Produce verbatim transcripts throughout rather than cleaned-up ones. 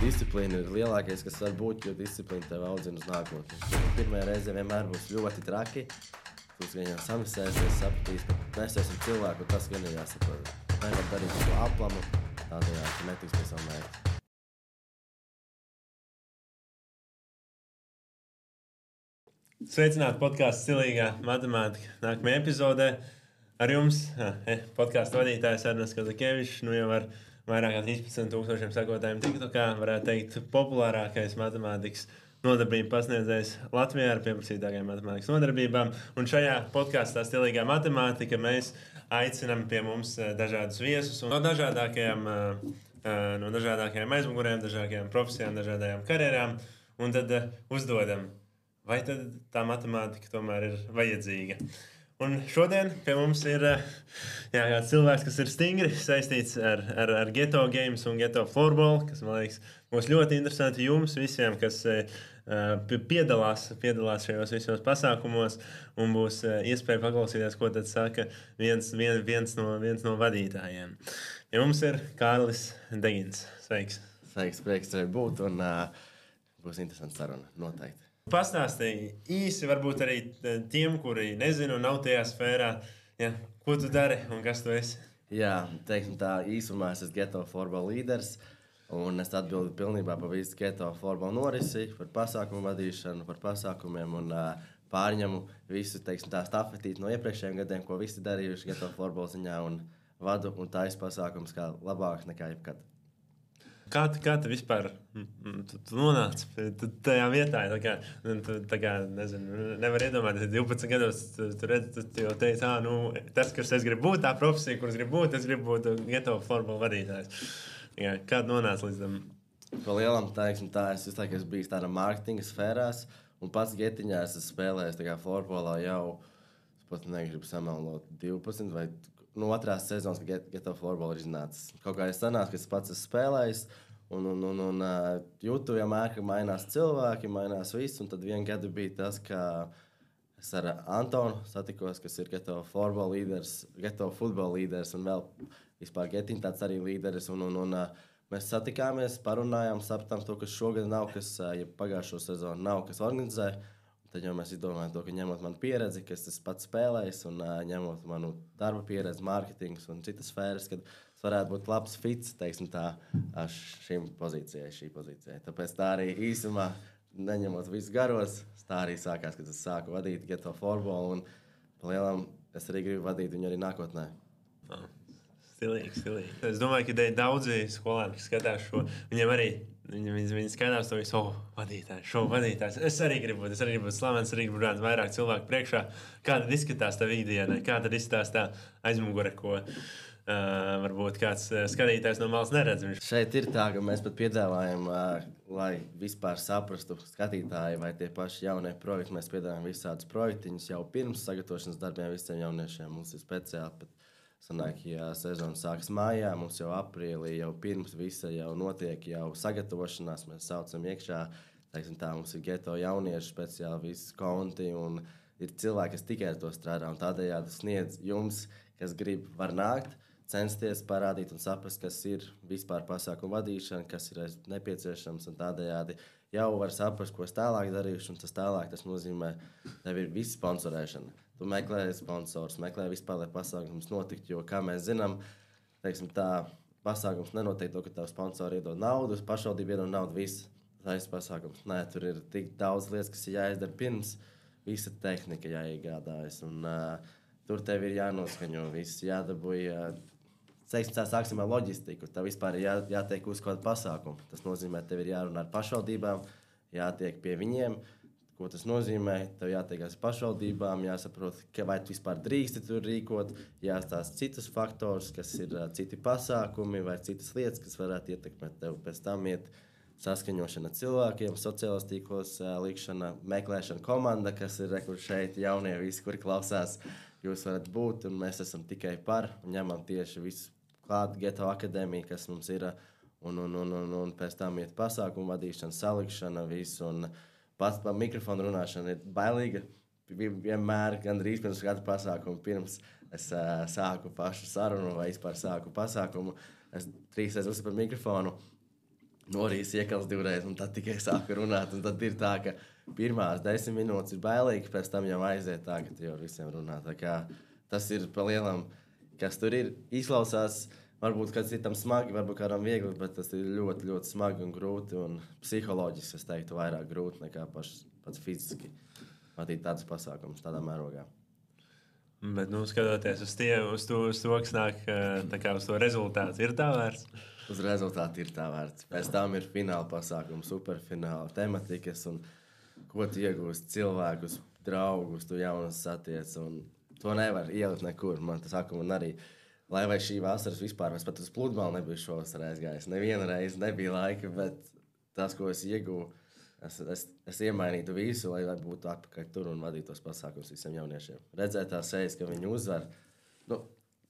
disciplīna ir lielākais, kas var būt, jo disciplīna tev audzina uz nākotni. Pirmajā reizē vienmēr būs ļoti traki. Tu gan jau samisēsies, sapratīs, bet mēs esam cilvēki, un tas gan ir jāsaprot. Nevar darīt to aplamu, tādējādi tu netiks pie savu mērķi. Sveicināti podkāstu Stilīgā matemātika. Nākamajā epizodē ar jums podkāstu vadītājs Ernests Kazakevičs. Nu jau ar vairāk kā trīspadsmit tūkstošiem sekotājiem TikTokā, varētu teikt, populārākais matemātikas nodarbību pasniedzējs Latvijā ar pieprasītākajām matemātikas nodarbībām. Un šajā podkāstā Stilīgā matemātika mēs aicinām pie mums dažādus viesus no dažādākajām, no dažādākajām aizmugurēm, dažādākajām profesijām, dažādajām karjerām. Un tad uzdodam, vai tad tā matemātika tomēr ir vajadzīga. Un šodien pie mums ir jā, kāds cilvēks, kas ir stingri saistīts ar, ar, ar Geto Games un Geto Floorball, kas, man liekas, būs ļoti interesanti jums visiem, kas uh, piedalās, piedalās šajos visos pasākumos, un būs uh, iespēja paklausīties, ko tad saka viens, vien, viens, no, viens no vadītājiem. Pie mums ir Kārlis Degins. Sveiks! Sveiks, prieks tevi būt, un uh, būs interesanti saruna, noteikti. Pastāstīji īsi, varbūt arī tiem, kuri nezinu, nav tajā sfērā, ja, ko tu dari un kas tu esi. Jā, teiksim tā, īsumā es esmu Geto Floorball līderis, un es atbildu pilnībā par visu Geto Floorball norisi, par pasākumu vadīšanu, par pasākumiem un uh, pārņemu visu, teiksim tā, stafetīti no iepriekšējiem gadiem, ko visi darījuši Geto Floorball ziņā, un vadu un taisu pasākums kā labāks nekā jebkad. Kā tu, kā tu vispār tu, tu nonāci tajā vietā? Tā kā, tu, tā kā nezinu, nevar iedomāties, divpadsmit gados tu, tu, redz, tu, tu jau teici, ah, nu, tas, kas es gribu būt, tā profesija, kuras gribu būt, es gribu būt Geto Floorball vadītājs. Kā tu nonāci līdz tam? Pa lielam, teiksim tā, es visu laiku esmu bijis tādā mārketinga sfērās, un pats Getiņā es esmu spēlējis tā kā Floorballā jau, es pat negribu samelnot divpadsmit vai nu, otrās sezonas, kad Geto Floorball ir iznācis. Kaut kā es sanācu, ka es pats esmu spēlējis, un, un, un, un uh, jūtu vienmēr, ka mainās cilvēki, mainās viss, un tad vien gadu bija tas, ka es ar Antonu satikos, kas ir Geto Floorball līderis, Geto futbola līderis, un vēl vispār Getiņ tāds arī līderis, un, un, un uh, mēs satikāmies, parunājām, sapratām to, kas šogad nav, kas, uh, ja pagājušo sezonu nav, kas organizē. Tad jau mēs izdomājam to, ka ņemot manu pieredzi, kas es pats spēlējis, un uh, ņemot manu darba pieredzi, mārketings un citas sfēras, kad es varētu būt labs fits, teiksim tā, šīm pozīcijai, šī pozīcijai. Tāpēc tā arī īsumā, neņemot visus garos, tā arī sākās, kad es sāku vadīt Geto Floorball, un pa lielam es arī gribu vadīt viņu arī nākotnē. Oh. Stilīgi, stilīgi. Es domāju, ka daudzi skolēni, kas skatās šo, viņiem arī viņi, viņi, viņi skatās to visu, oh, vadītājs, šo vadītājs. Es arī gribu būt, es arī gribu būt slavens, arī gribu būt vairāk cilvēku priekšā. Kā tad izskatās tā ikdiena, kā tad izskatās tā aizmugure, ko uh, varbūt kāds skatītājs no malas neredz. Šeit ir tā, ka mēs pat piedāvājam, uh, lai vispār saprastu skatītāji vai tie paši jaunie projekti. Mēs piedāvājam visādus projektiņus jau pirms sagatavošanas darbiem visiem jauniešiem. Mums ir speciāli pat sanāk, ja sezona sākas mājā, mums jau aprīlī, jau pirms visa jau notiek jau sagatavošanās, mēs saucam iekšā, teiksim tā, mums ir Geto jaunieši speciāli visi konti, un ir cilvēki, kas tikai ar to strādā, un tādējādi sniedz jums, kas grib, var nākt, censties parādīt un saprast, kas ir vispār pasākumu vadīšana, kas ir nepieciešams, un tādējādi jau var saprast, ko es tālāk darīšu, un tas tālāk, tas nozīmē, tev ir visa sponsorēšana. Tu meklē sponsors, meklē vispār, lai pasākums notiktu, jo, kā mēs zinām, teiksim tā, pasākums nenotiek to, ka tev sponsori iedod naudu, pašvaldība iedod naudu, viss, tas pasākums. Nē, tur ir tik daudz lietas, kas ir jāizdara pirms, visa tehnika jāiegādājas, un uh, tur tev ir jānoskaņo viss, jādabūja, teiksim tā, sāksim ar loģistiku, tev vispār ir jā, jātiek uz kādu pasākumu. Tas nozīmē, tev ir jārunā ar pašvaldībām, jātiek pie viņiem. Ko tas nozīmē? Tev jātiekās pašvaldībām, jāsaprot, ka vai tu vispār drīksti tur rīkot, jāstāsta citus faktorus, kas ir uh, citi pasākumi vai citas lietas, kas varētu ietekmēt tev. Pēc tam iet saskaņošana cilvēkiem, sociālos tīklos, uh, likšana, meklēšana komanda, kas ir rekur šeit jaunie visi, kuri klausās, jūs varat būt, un mēs esam tikai par, un ņemam tieši visu klāt Geto akadēmiju, kas mums ir, un, un, un, un, un pēc tam iet pasākumu vadīšana, salikšana, visu, un pats par mikrofonu runāšanu ir bailīga. Vienmēr, gandrīz pirms katra pasākuma, pirms es uh, sāku pašu sarunu vai vispār sāku pasākumu, es trīs reizes uzsveru par mikrofonu. norīs iekals divreiz, un tad tikai sāku runāt. Un tad ir tā, ka pirmās desmit minūtes ir bailīgi, pēc tam jau aiziet tā, ka tu jau visiem runā. Tā kā tas ir pa lielam, kas tur ir, izklausās, varbūt kāds citam smagi, varbūt kādam viegli, bet tas ir ļoti, ļoti smagi un grūti, un psiholoģiski, es teiktu, vairāk grūti nekā paš, pats fiziski vadīt tādus pasākumus tādā mērogā. Bet, nu, skatoties uz, tie, uz, to, uz to, kas nāk tā kā uz to rezultātu, ir tā vērts? Uz rezultātu ir tā vērts. Pēc tam ir fināla pasākums, superfināla tematikas, un ko tu iegūsti cilvēkus, draugus, tu jaunus satiec, un to nevar ielikt nekur. Man tas saka, un arī, lai vai šī vasaras vispār, es pat uz pludmali nebiju šovasar aizgājis. Neviena reize nebija laika, bet tas, ko es iegūju, Es, es, es iemainītu visu, lai būtu atpakaļ tur un vadītu tos pasākumus visiem jauniešiem. Redzēt tās sejas, ka viņi uzvar. Nu,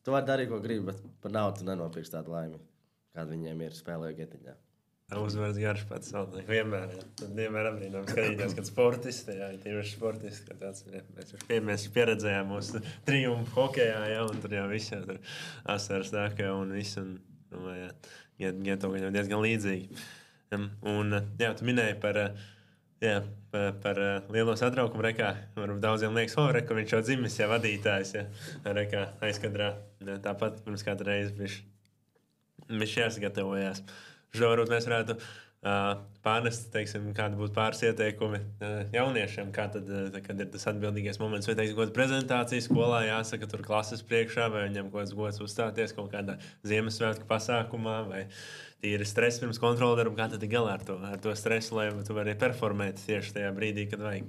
tu vari darīt, ko gribi, bet par naudu tu nenopirksi tādu laimi, kāda viņiem ir spēlēju getiņā. Uzvaras garš pats saldāk. Vienmēr, jā. Tad vienmēr apbrīnām skatīties, kad sportisti, jā, tīpaši sportisti, ka tāds, jā, mēs, pie, mēs pieredzējām mūsu triumfu hokejā, jā, un tur jau viss jau tur asaras tākā un viss, un, nu, jā, Geto viņam diezgan līdzīgi. Un, jā, tu minēji par, jā, par, par lielo satraukumu rekā. Varbūt daudziem liekas, oh, reka, viņš jau dzimis, jā, vadītājs, jā, rekā aizkadrā. Jā, tāpat pirms kādu reizi viņš, viņš jāsagatavojās. Šo varbūt mēs varētu uh, pārnest, teiksim, kādi būtu pāris ieteikumi uh, jauniešiem, kā tad, uh, kad ir tas atbildīgais moments, vai, teiksim, kāda prezentācija skolā jāsaka tur klases priekšā, vai viņam kaut kāds gods uzstāties kaut kādā Ziemassvētku pasākumā, vai tīri stress pirms kontrola darba, kā tad ir galā ar to, ar to stresu, lai tu vari performēt tieši tajā brīdī, kad vajag?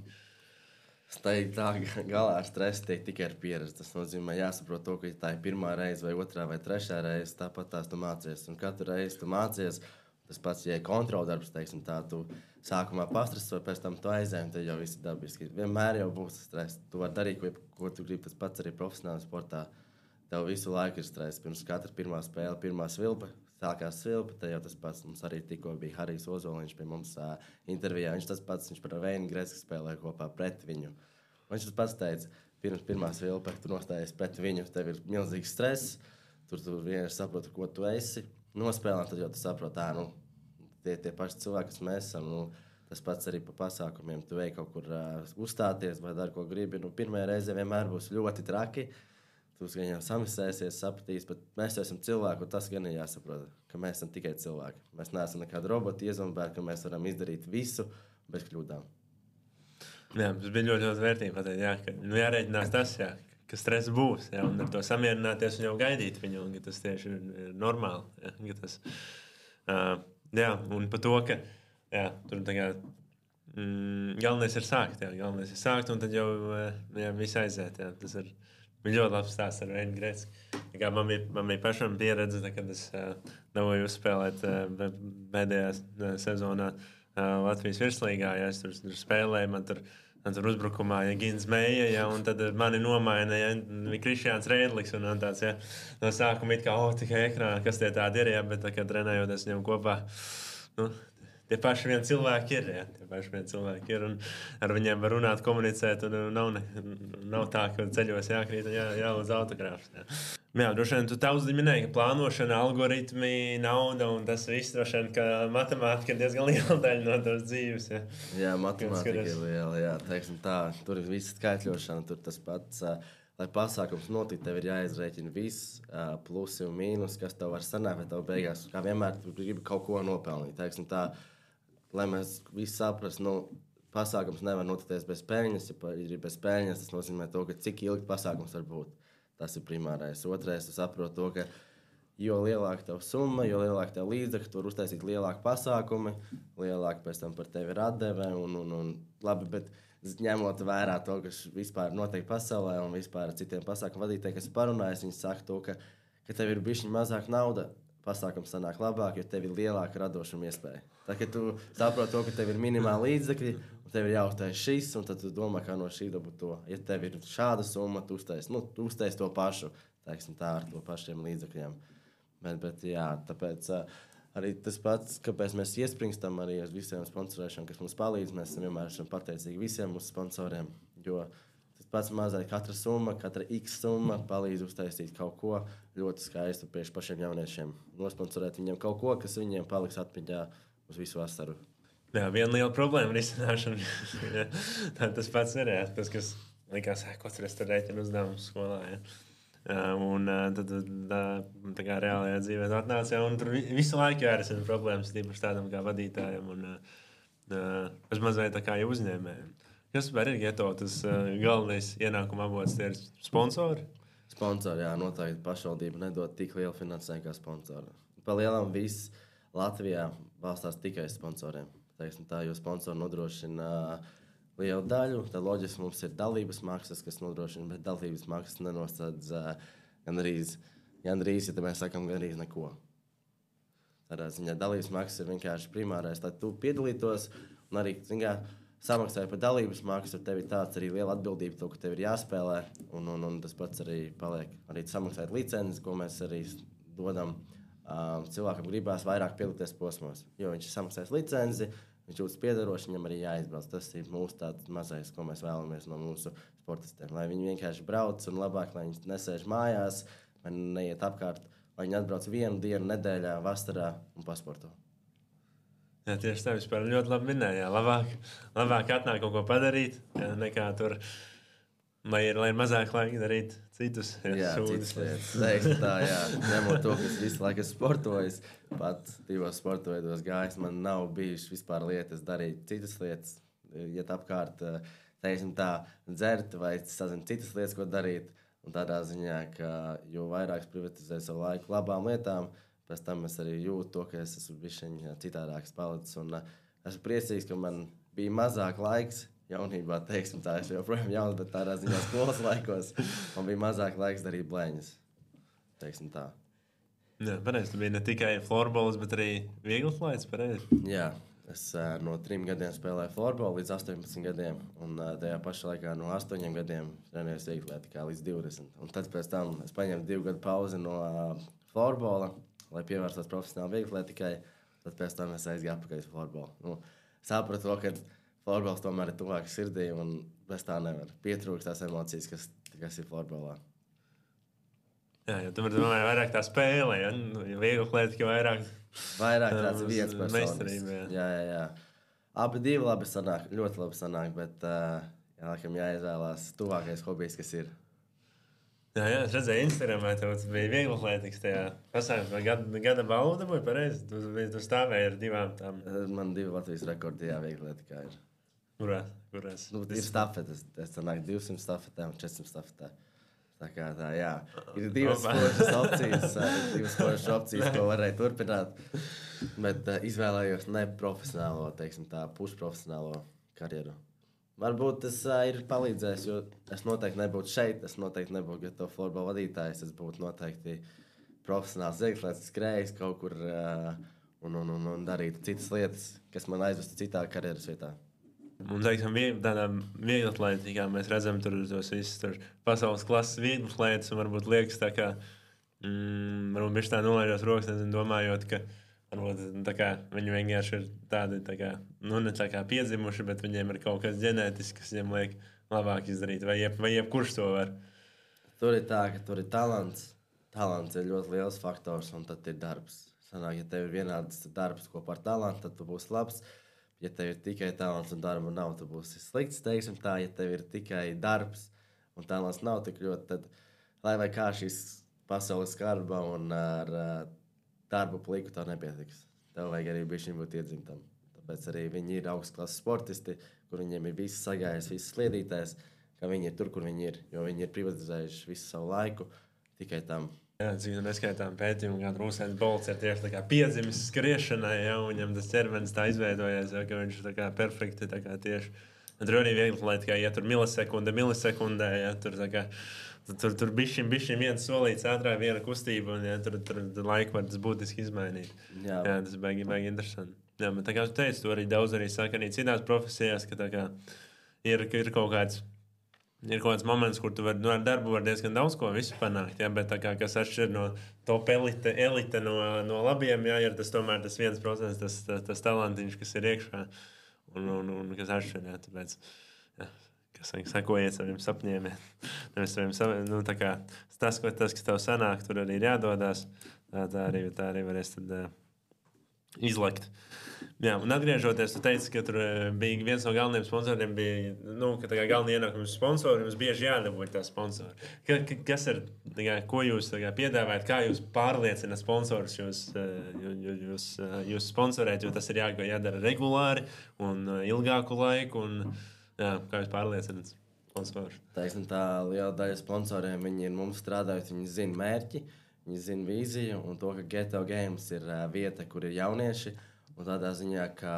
Es teiktu, tā galā ar stresu tiek tikai ar pieredzi. Tas nozīmē, jāsaprot to, ka tā ir pirmā reize vai otrā vai trešā reize, tāpat tās tu mācies. Un katru reizi tu mācies, tas pats, ja ir kontrola darbs, teiksim, tā tu sākumā pastreso, pēc tam tu aizēji, tad jau viss ir dabiski. Vienmēr jau būs stress. Tu vari darīt, ko, ko tu gribi, tas pats arī profesionālā sportā. Tev visu laiku ir stress. Pirms katra pirmā spēle, pirmā svilpa, sākās svilpa, tad jau tas pats. Mums arī tikko bija Harijs Ozoliņš pie mums uh, intervijā. Viņš tas pats, viņš par Veinu Greski spēlēja kopā pret viņu. Viņš tas pats teica, pirms pirmā svilpa, tu nostājies pret viņu, tev ir milzīgs stress, tur tu vienkārši saproti, ko tu esi. Nospēlēt, tad jau tu saproti, tā, nu, tie, tie paši cilvēki, kas mēs esam, nu, tas pats arī pa pasākumiem. Tu vei kaut kur uh, uzstāties vai dari, ko gribi. Nu, pirmajā reizē vienmēr būs ļoti traki. Tu gan jau samisēsies, sapratīs, bet mēs esam cilvēki, un tas gan ir jāsaprot, ka mēs esam tikai cilvēki. Mēs neesam nekādi roboti iezombēti, ka mēs varam izdarīt visu bez kļūdām. Jā, tas bija ļoti, ļoti vērtīgi pateikt, jā, ka nu, jārēķinās tas, jā, ka stress būs, jā, un ar to samierināties un jau gaidīt viņu, un ka tas tieši ir, ir normāli. Jā, ka tas, uh, jā, un par to, ka jā, tur tagad mm, galvenais ir sākt, jā, galvenais ir sākt, un tad jau jā, viss aiziet, jā, tas ir bija ļoti labs stāsts ar Veinu Greski. Man bija, man bija pašam pieredze, tā, kad es uh, dabūju uzspēlēt uh, pēdējā uh, sezonā uh, Latvijas virslīgā. Ja, es tur, tur spēlēju, man tur, man tur uzbrukumā ja, Gins Meija, ja, un tad mani nomaina ja, Krišjāns Rēdlis. Un, un tāds, ja, no sākuma it kā, oh, tikai ekrānā, kas tie tādi ir, ja, bet tā, kad trenējoties viņam kopā, nu, tie paši vien cilvēki ir, jā, tie paši vien cilvēki ir, un ar viņiem var runāt, komunicēt, un nav, ne, nav tā, ka ceļos jākrīt un jā, jālūdz autogrāfs. Jā, jā droši vien, tu daudz minēji, ka plānošana, algoritmi, nauda, un tas viss, droši vien, ka matemātika ir diezgan liela daļa no tavas dzīves, jā. Jā, matemātika ir liela, jā, teiksim tā, tur ir visa skaitļošana, tur tas pats, lai pasākums notikt, tev ir jāizrēķina viss, plusi un mīnus, kas tev var sanākt, vai tev beigās, kā vienmēr, tu gribi kaut ko nopelnīt, teiksim tā, lai mēs visi saprastu, nu, pasākums nevar notikties bez peļņas. Ja ir bez peļņas, tas nozīmē to, ka cik ilgi pasākums var būt. Tas ir primārais. Otrais, tu saproti to, ka jo lielāka tev summa, jo lielāka tev līdzekļi, tu var uztaisīt lielāku pasākumu, lielāku pēc tam par tevi ir atdeve. Un, un, un, labi, bet ņemot vērā to, kas vispār notiek pasaulē un vispār ar citiem pasākumu vadītājiem, kas parunājas, viņi saka to, ka, ka tev ir bišķiņ mazāk nauda. Pasākums sanāk labāk, jo tev ir lielāka radošuma iespēja. Tā, ka tu saproti to, ka tev ir minimāli līdzekļi, un tev ir jāuztais šis, un tad tu domā, kā no šī dabūt to. Ja tev ir šāda summa, tu uztais, nu, tu uztais to pašu, teiksim tā, ar to pašiem līdzekļiem. Bet, bet jā, tāpēc uh, arī tas pats, kāpēc mēs iespringstam arī uz visiem sponsorēšiem, kas mums palīdz, mēs esam vienmēr esam pateicīgi visiem mūsu sponsoriem, jo tas pats mazai katra summa, katra X summa palīdz uztaisīt kaut ko ļoti skaistu priekš pašiem jauniešiem. Nosponsorēt viņiem kaut ko, kas viņiem paliks atmiņā uz visu vasaru. Jā, viena liela problēma risināšana. Tā tas pats ir, jā, tas, kas likās, ko tur es tur rēķinu uzdevumu skolā. Jā. Un tad tā, tā kā reālajā dzīvē atnāca, jā, un tur visu laiku jārisina problēmas, tīpaši tādam kā vadītājam un bez mazliet tā kā uzņēmējiem. Kas var ir Geto, tas galvenais ienākuma avots, tie ir sponsori? Sponsori, jā, noteikti pašvaldība nedod tik lielu finansējumu kā sponsori. Pa lielam viss Latvijā balstās tikai sponsoriem. Teiksim tā, jo sponsori nodrošina lielu daļu, tad loģiski mums ir dalības maksas, kas nodrošina, bet dalības maksas nenosādz gan arī, gan arī, ja mēs sakam, gan arī neko. Tādā ziņā dalības maksas ir vienkārši primārais, lai tu piedalītos un arī, zin kā, samaksāja par dalības maksu, tev ir tāds arī liela atbildība, to, ka tev ir jāspēlē, un, un, un tas pats arī paliek. Arī samaksājot licences, ko mēs arī dodam, um, cilvēkam gribās vairāk piedalīties posmos. Jo viņš ir samaksājis licenci, viņš jūtas piedaroši, viņam arī jāizbrauc. Tas ir mūsu tāds mazais, ko mēs vēlamies no mūsu sportistiem. Lai viņi vienkārši brauc un labāk, lai viņi nesēž mājās, vai neiet apkārt, lai viņi atbrauc vienu dienu nedēļā, vasarā un pasporto. Jā, tieši tā, vispār ļoti labi minēja. Labāk, labāk atnāk kaut ko padarīt, jā, nekā tur, lai ir, lai ir mazāk laika darīt citus. Jā, jā citas lietas. Teiksim tā, jā. Ņemot to, ka es visu laiku esmu sportojis, pat divos sporta veidos gājis, man nav bijušas vispār lietas darīt citas lietas. Iet apkārt, teiksim tā, dzert vai sazin citas lietas, ko darīt. Un tādā ziņā, ka jo vairāk es privatizēju savu laiku labām lietām, pēc tam es arī jūtu to, ka es esmu bišķiņ citādāks palicis. Un uh, esmu priecīgs, ka man bija mazāk laiks jaunībā, teiksim tā, es joprojām jauns, bet tādā ziņā skolas laikos man bija mazāk laiks darīt blēņas, teiksim tā. Jā, pareizi, tu biji ne tikai florbols, bet arī vieglatlaids, pareizi? Jā, es uh, no trim gadiem spēlēju florbolu līdz astoņpadsmit gadiem, un uh, tajā pašā laikā no astoņiem gadiem trenējos vieglatlētikā līdz divdesmit. Un tad pēc tam es paņēmu divu gadu pauzi no uh, florbola, lai pievērstos profesionāli vieglatlētikai, tad pēc tam es aizgāju atpakaļ uz florbolu. Nu, sapratu to, ka florbols tomēr ir tuvāk sirdī, un bez tā nevar. Pietrūkst tās emocijas, kas, kas ir florbolā. Jā, jo tu vari domāt vairāk tā spēle, ja? Vieglatlētika vairāk... Vairāk tāds viens personis. Meistarība, jā. Jā, jā, jā. Abi divi labi sanāk, ļoti labi sanāk, bet uh, jā, laikam jāizvēlās tuvākais hobijs, kas ir. Jā, jā, es redzēju Instagramā, tev bija vieglatlētikas tajā pasākumā. Gada, gada balva dabūja pareizi? Tu, tu stāvēji ar divām tām. Man divi Latvijas rekordi, jā, vieglatlētikā ir. Kurās? Kurās? Nu, ir stafetes. Es sanāk divsimt stafetē un četrsimt stafetē. Tā kā tā, jā. Ir divas sportas opcijas, divas sportas opcijas, ko varēja turpināt. Bet uh, izvēlējos neprofesionālo, teiksim tā, pusprofesionālo karjeru. Varbūt tas uh, ir palīdzējis, jo es noteikti nebūtu šeit, es noteikti nebūtu Geto florbola vadītājs, es būtu noteikti profesionāls vieglatlētis, skrējis kaut kur uh, un, un, un, un darītu citas lietas, kas man aizvestu citā karjeras vietā. Un, teiksim, tādā vieglatlētikā mēs redzam tur tos visus tur pasaules klases vieglatlētis, un varbūt liekas tā kā, mm, varbūt viņš tā nolaižos rokas, nezinu, domājot, ka varbūt tā kā viņi vienkārši ir tādi, tā kā, nu, ne tā kā piedzimuši, bet viņiem ir kaut kas ģenētisks, kas viņiem liek labāk izdarīt, vai, jeb, vai jebkurš to var. Tur ir tā, ka tur ir talants. Talants ir ļoti liels faktors, un tad ir darbs. Sanāk, ja tev ir vienāds darbs kopā ar talantu, tad tu būsi labs. Ja tev ir tikai talants un darba nav, tu būsi slikts, teiksim tā. Ja tev ir tikai darbs un talants nav tik ļoti, tad lai vai kā šīs pasaules skarba un ar uh, darbu pliku tev nepietiks. Tev vajag arī bišķiņ būt iedzimtam. Tāpēc arī viņi ir augstklases sportisti, kur viņiem ir viss sagājis, viss sliedītājs, ka viņi ir tur, kur viņi ir. Jo viņi ir privatizējuši visu savu laiku tikai tam. Jā, cik neskaitām pētījumu, kā Rūsēns Bolts ir tieši tā kā piedzimis skriešanai, ja, un viņam tas ķermenis tā izveidojies, ja, ka viņš ir tā kā perfekti, tā kā tieši. Un tur arī vieglatlētikā, ja tur milisekunde, milisekundē, ja, tur tā kā, tur, tur bišķiņ, bišķiņ viens solīts ātrāk, viena kustība, un ja, tur, tur, tur laiku var tas būtiski izmainīt. Jā, jā tas baigi, baigi interesanti. Jā, bet tā kā tu teici, tu arī daudz arī saka arī citās profesijās, ka tā kā ir, ir kaut kāds, ir kaut kāds moments, kur tu var, nu, ar darbu var diezgan daudz ko visu panākt, jā, bet tā kā, kas atšķir no top elite, elite no, no labiem, jā, ir tas tomēr tas viens procents, tas, tas, tas talantiņš, kas ir iekšā, un, un, un kas atšķir, jā, tāpēc, jā, kas saka, sakojiet saviem sapņiem, jā, nevis saviem sapņiem, nu, tā kā tas, ko tas, kas tev sanāk, tur arī ir jādodās, tā, tā arī, tā arī varēs tad, izlekt. Jā, un atgriežoties, tu teici, ka tur bija viens no galvenajiem sponsoriem, bija, nu, ka tā kā galvenie ienākumi sponsori, jums bieži jādabūj tā sponsori. Ka, ka, kas ir, tā kā, ko jūs tā kā piedāvājat, kā jūs pārliecināt sponsorus jūs, jūs, jūs, jūs sponsorēt, jo tas ir jā, jādara regulāri un ilgāku laiku, un jā, kā jūs pārliecināt sponsorus? Taisn, tā liela daļa sponsoriem, viņi ir mums strādājot, viņi zina mērķi, viņi zina vīziju, un to, ka Geto Games ir vieta, kur ir jaunieši. Un tādā ziņā, ka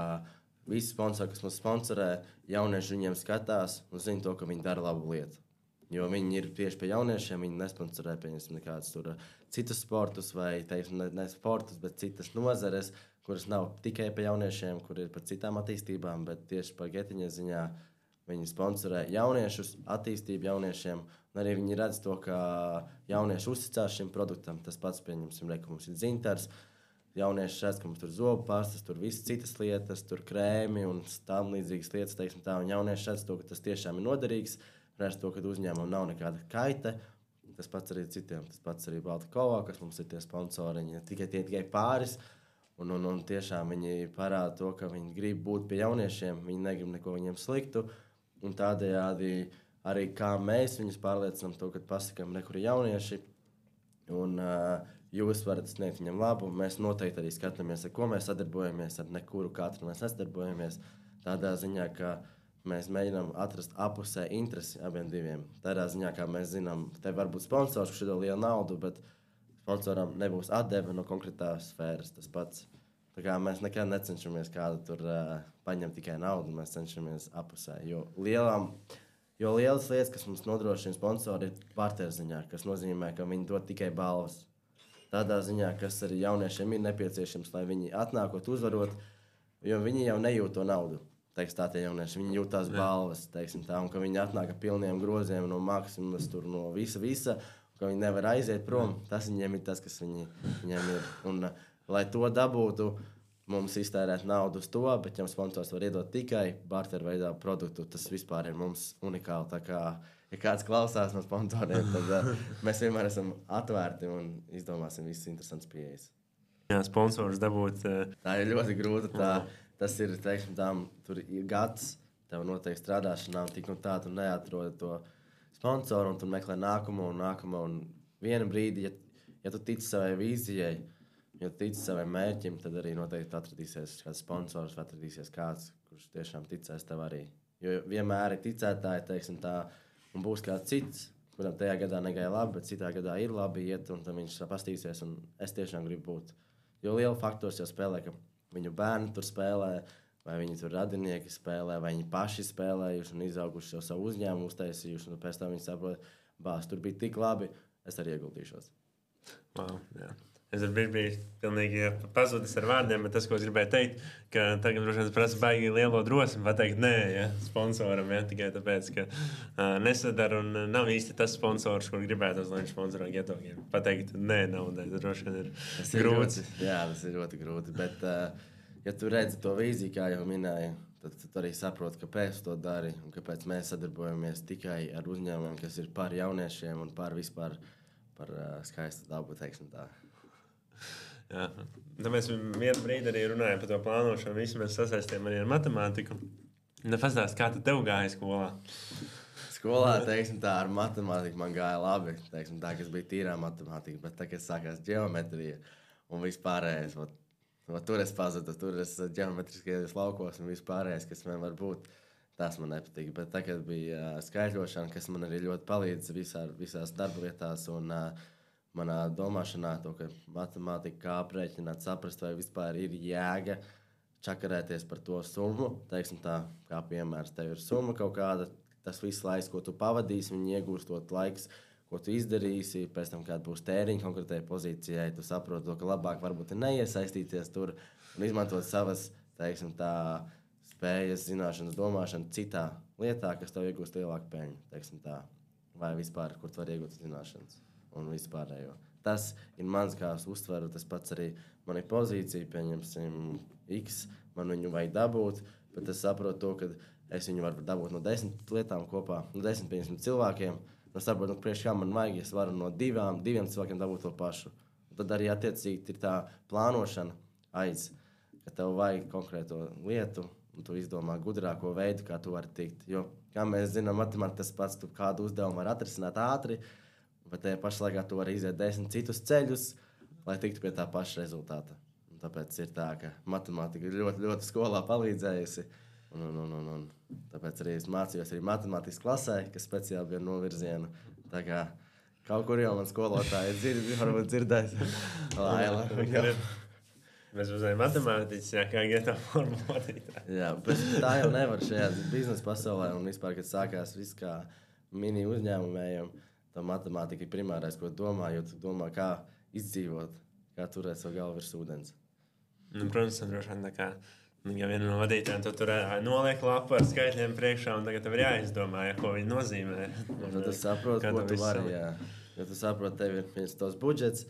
visi sponsori, kas mums sponsorē, jaunieši viņiem skatās un zina to, ka viņi dara labu lietu. Jo viņi ir tieši pie jauniešiem, viņi nesponsorē pieņemsim nekādus tur citus sportus vai, teiksim, ne, ne sportus, bet citas nozares, kuras nav tikai pie jauniešiem, kur ir par citām attīstībām, bet tieši par Getiņa ziņā viņi sponsorē jauniešus, attīstību jauniešiem, un arī viņi redz to, ka jaunieši uzticās šim produktam. Tas pats, pieņemsim, re, ka mums ir dzintars, jaunieši redz, ka mums tur zobu pastas, tur visas citas lietas, tur krēmi un tam līdzīgas lietas, teiksim tā, un jaunieši redz to, ka tas tiešām ir noderīgs, redz to, ka uzņēmumam nav nekāda kaita, tas pats arī citiem, tas pats arī Baltikovā, kas mums ir tie sponsori, viņi tikai tie tikai pāris, un, un, un tiešām viņi parāda to, ka viņi grib būt pie jauniešiem, viņi negrib neko viņiem sliktu, un tādējādi arī kā mēs viņus pārliecinām to, kad pasakām, ne, kur ir jaunieši, un uh, jūs varat sniegt viņam labu. Mēs noteikti arī skatāmies, ar ko mēs sadarbojamies, ar nekuru katru mēs nesadarbojamies. Tādā ziņā, ka mēs mēģinām atrast apusē interesi abiem diviem. Tādā ziņā, kā mēs zinām, te var būt sponsors, kurš iedod lielu naudu, bet sponsoram nebūs atdeve no konkrētās sfēras. Tas pats. Tā kā mēs nekad necenšamies kādu tur uh, paņemt tikai naudu, mēs cenšamies apusē. Jo lielām, jo lielas lietas, kas mums nodrošina sponsori, ir partnerziņā, kas nozīmē, ka viņi dod tikai balvas. Tādā ziņā, kas arī jauniešiem ir nepieciešams, lai viņi atnākot, uzvarot, jo viņi jau nejūt to naudu. Teiks tā tie jaunieši, viņi jūt tās balvas, teiksim tā, un ka viņi atnāk ar pilniem groziem no maksimumas, tur no visa, visa, un ka viņi nevar aiziet prom, tas viņiem ir tas, kas viņi, viņiem ir. Un, lai to dabūtu, mums iztērēt naudu uz to, bet ja sponsors var iedot tikai barteru veidā produktu, tas vispār ir mums unikāli, tā kā ja kāds klausās no sponsoriem, tad uh, mēs vienmēr esam atvērti un izdomāsim visas interesantas pieejas. Jā, sponsors dabūt. Uh... Tā ir ļoti grūta. Tā, tas ir, teiksim, tām, tur ir gads, tev noteikti strādāšanā, un tik un tā tu neatrodi to sponsoru, un tu meklē nākamo un nākamo. Un vienu brīdi, ja, ja tu tici savai vīzijai, ja tu tici savai mērķim, tad arī noteikti atradīsies kāds sponsors, vai atradīsies kāds, kurš tiešām ticēs tev arī. Jo vienmēr ir ticētāji, teiksim tā, un būs kāds cits, kuram tajā gadā negāja labi, bet citā gadā ir labi iet, un tad viņš pastīsies, un es tiešām gribu būt. Jo liela faktors jau spēlē, ka viņu bērni tur spēlē, vai viņi tur radinieki spēlē, vai viņi paši spēlējuši un izauguši jau savu uzņēmumu, uztaisījuši, un pēc tam viņi saprot, bās, tur bija tik labi, es arī ieguldīšos. Wow, jā. Es ar brīdi biju pilnīgi pazudis ar vārdiem, bet tas, ko es gribēju teikt, ka tagad droši vien prasa baigi lielo drosmi pateikt nē, ja, sponsoram, ja, tikai tāpēc, ka uh, nesadara un nav īsti tas sponsors, kur gribētu, lai viņš sponsorā Geto Games. Pateikt nē naudai, tas droši vien ir tas grūti. Ir ļoti, jā, tas ir ļoti grūti, bet uh, ja tu redzi to vīziju, kā jau minēju, tad tu arī saproti, kāpēc to dari un kāpēc mēs sadarbojamies tikai ar uzņēmumiem, kas ir par jauniešiem un par vispār par uh, skaistu dabu, teiksim tā. Jā. Tāpēc vienu brīdi arī runājām par to plānošanu. Visi mēs sasaistījām arī ar matemātiku. Pastāst, kā tu tev gāja skolā? Skolā, teiksim tā, ar matemātiku man gāja labi. Teiksim tā, kas bija tīrā matemātika, bet tagad sākās ģeometrija un vispārējais. Ot, ot, tur es pazudu, tur es ģeometriskajos laukos un vispārējais, kas man var būt, tas man nepatīk. Bet tagad bija uh, skaitļošana, kas man arī ļoti palīdz visā, visās darba vietās un uh, manā domāšanā, to, ka matemātika kā aprēķināt, saprast, vai vispār ir jēga čakarēties par to summu. Teiksim tā, kā piemērs, tev ir summa kaut kāda, tas viss laiks, ko tu pavadīsi, viņi iegūstot laiks, ko tu izdarīsi, pēc tam, kāda būs tēriņa konkrētai pozīcijai, tu saproti to, ka labāk varbūt ir neiesaistīties tur un izmantot savas, teiksim tā, spējas, zināšanas, domāšanu citā lietā, kas tev iegūst lielāku peļņu, teiksim tā, vai vispār, kur tu vari iegūt zināšanas. Un vispārējo. Tas ir mans, kā es uztveru, tas pats arī man ir pozīcija, pieņemsim X, man viņu vajag dabūt, bet es saprotu to, ka es viņu varu dabūt no desmit lietām kopā, no desmit, piemēram, cilvēkiem, un es saprotu, nu, priekš kā man vajag, es varu no divām, diviem cilvēkiem dabūt to pašu. Un tad arī attiecīgi ir tā plānošana aiz, ka tev vajag konkrēto lietu, un tu izdomā gudrāko veidu, kā tu vari tikt. Jo, kā mēs zinām, matemātikā tas pats, tu kādu uzdevumu vari atrisināt ātri, bet tajā pašā laikā tu vari iziet desmit citus ceļus, lai tiktu pie tā paša rezultāta. Un tāpēc ir tā, ka matemātika ļoti, ļoti skolā palīdzējusi. Un, un, un, un, un tāpēc arī es mācījos arī matemātikas klasē, kas speciāli bija no virziena. Tā kā kaut kur jau man skolotāji dzird, varbūt dzirdēs. Laila. Mēs uzdevām matemātiķis, jā, kā iet tā formula vadītāji. Jā, bet tā jau nevar šajā biznesa pasaulē. Un vispār, kad sākās viss kā mini uzņēmumējiem, tā matemātika ir primārais, ko domā, jo tu domā, kā izdzīvot, kā turēt savu galvu virs ūdens. Nu, protams, droši vien tā kā ja viena no vadītājiem tu tur noliek lapu ar skaitļiem priekšā, un tagad tev ir jāizdomā, ja, ko viņi nozīmē. Un tad tu saproti, ko tu vari, jā. Ja tu saproti, tev ir viens tos budžets,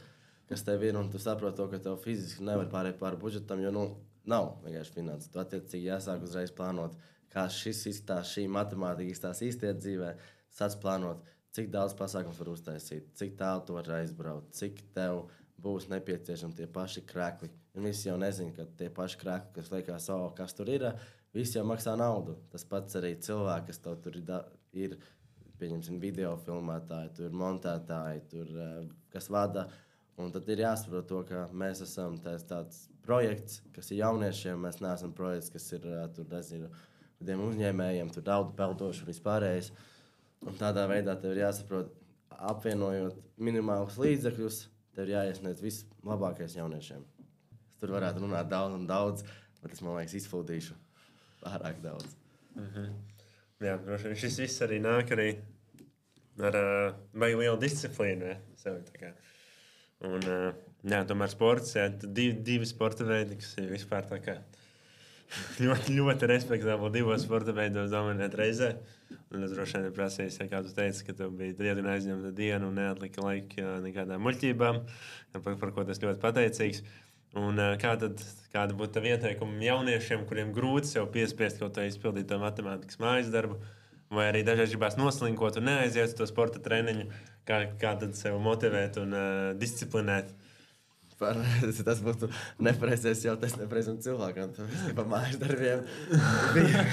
kas tev ir, un tu saproti to, ka tev fiziski nevar pārēt pāri budžetam, jo, nu, nav vienkārši finanses. Tu attiecīgi jāsāk uzreiz plānot, kā šis izstās, šī matemātika izstās īstajā dzīvē, sāc plānot, cik daudz pasākums var uztaisīt, cik tālu tu vari aizbraukt, cik tev būs nepieciešami tie paši krekli. Un visi jau nezina, ka tie paši krekli, kas liekas, oh, kas tur ir, visi jau maksā naudu. Tas pats arī cilvēki, kas tev tur ir, ir pieņemsim, video filmētāji, tur montētāji, tur, kas vada. Un tad ir jāsaprot to, ka mēs esam tāds, tāds projekts, kas ir jauniešiem. Mēs neesam projekts, kas ir tur, nezinu, tiem uzņēmējiem, tur naudu peldoši un vispārējais. Un tādā veidā tev ir jāsaprot, apvienojot minimālus līdzekļus, tev ir jāiesniedz vislabākais jauniešiem. Es tur varētu runāt daudz un daudz, bet es, man liekas, izfūdīšu pārāk daudz. Mhm. Jā, droši vien šis viss arī nāk arī ar uh, baigi lielu disciplīnu. Ja, sevi, tā kā. Un, uh, jā, tomēr sports, jā, divi, divi sporta veidi, kas ir vispār tā kā ļoti, ļoti respektabli divos sporta veidos dominēt reizē. Un es droši vien prasīju, kā tu teici, ka tev bija diezgan aizņemta diena un neatlika laika nekādām muļķībām, par, par ko tas ļoti pateicīgs. Un kā tad, kāda būtu tava ieteikuma jauniešiem, kuriem grūti sev piespiest kaut kā izpildīt to matemātikas mājas darbu, vai arī dažreiz gribās noslinkot un neaiziet uz to sporta treniņu, kā, kā tad sev motivēt un uh, disciplinēt? Par, tas būtu nepareizais jautājums nepareizam cilvēkam. Pa mājas darbiem bija,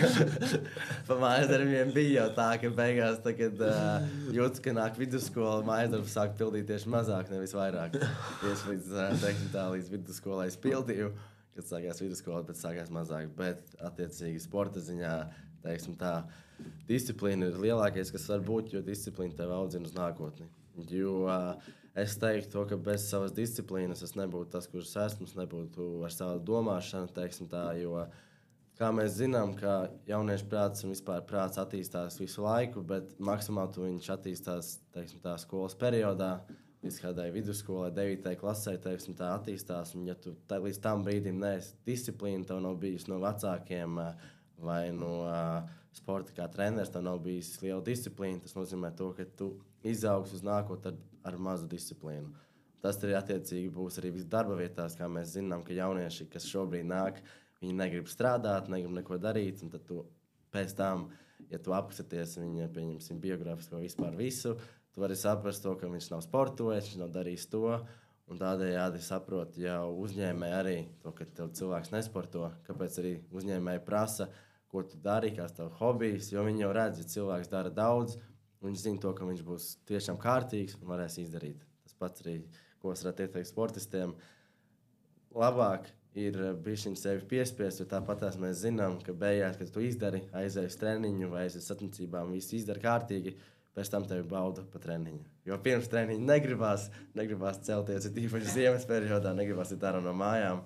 pa mājas darbiem bija jau tā, ka beigās, tā, kad uh, jūtas, ka nāk vidusskola, mājas darbu sāk pildīt tieši mazāk, nevis vairāk. Tieši līdz, uh, teiksim tā, līdz vidusskolai es pildīju, kad sākās vidusskola, bet sākās mazāk. Bet, attiecīgi, sporta ziņā, teiksim tā, disciplīna ir lielākais, kas var būt, jo disciplīna tev audzina uz nākotni. Jo uh, es teiktu to, ka bez savas disciplīnas es nebūtu tas, kurš esmu, es nebūtu ar savu domāšanu, teiksim tā, jo, kā mēs zinām, ka jauniešu prāts un vispār prāts attīstās visu laiku, bet maksimāli tu viņš attīstās, teiksim tā, skolas periodā, līdz kādai vidusskolai, devītajai klasē, teiksim tā, attīstās, un ja tu tā, līdz tam brīdim neesi disciplīna, tev nav bijis no vecākiem vai no uh, sporta kā treneris, tev nav bijis liela disciplīna, tas nozīmē to, ka tu izaugs uz nākotni ar, ar mazu disciplīnu. Tas arī attiecīgi būs arī viss darba vietās, kā mēs zinām, ka jaunieši, kas šobrīd nāk, viņi negrib strādāt, negrib neko darīt, un tad tu pēc tam, ja tu apskaties viņa, pieņemsim, biogrāfisko vispār visu, tu vari saprast to, ka viņš nav sportojis, viņš nav darījis to, un tādējādi saprot jau uzņēmēji arī to, ka tev cilvēks nesporto, kāpēc arī uzņēmēji prasa, ko tu dari, kāds tev hobijs, jo viņi jau redz, ja cilvēks dara daudz, viņš zina to, ka viņš būs tiešām kārtīgs un varēs izdarīt. Tas pats arī, ko es varētu ieteikt sportistiem, labāk ir bišķiņ sevi piespiest, jo tāpatās mēs zinām, ka beigās, kad tu izdari, aizēji uz treniņu vai aizies sacensībām, visu izdari kārtīgi, pēc tam tevi bauda pa treniņu. Jo pirms treniņa negribās, negribās celties, ir tīpaši ziemas periodā, negribās iet ārā no mājām,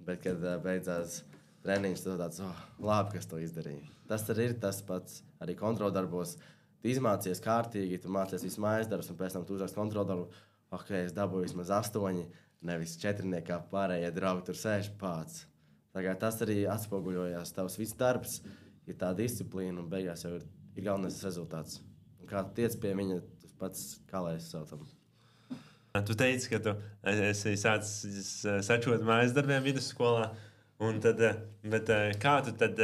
bet, kad beidzās treniņš, tad tāds, oh, labi, kas to izdarīja. Tas arī ir tas pats arī kontroldarbos. Tu izmācies kārtīgi, tu mācies visu mājas darbus, un pēc tam tu uzrakst kontroldarbu, ok, es dabūju vismaz astoņi, nevis četrniekā pārējie draugi tur sēž pāts. Tā kā tas arī atspoguļojās, tavs viss darbs, ir tā disciplīna, un beigās jau ir, ir galvenais rezultāts. Un kā tu tiec pie viņa, tas pats, kā lai es saucam. Tu teici, ka tu esi sācis sačot mājas darbiem vidusskolā, un tad, bet kā tu tad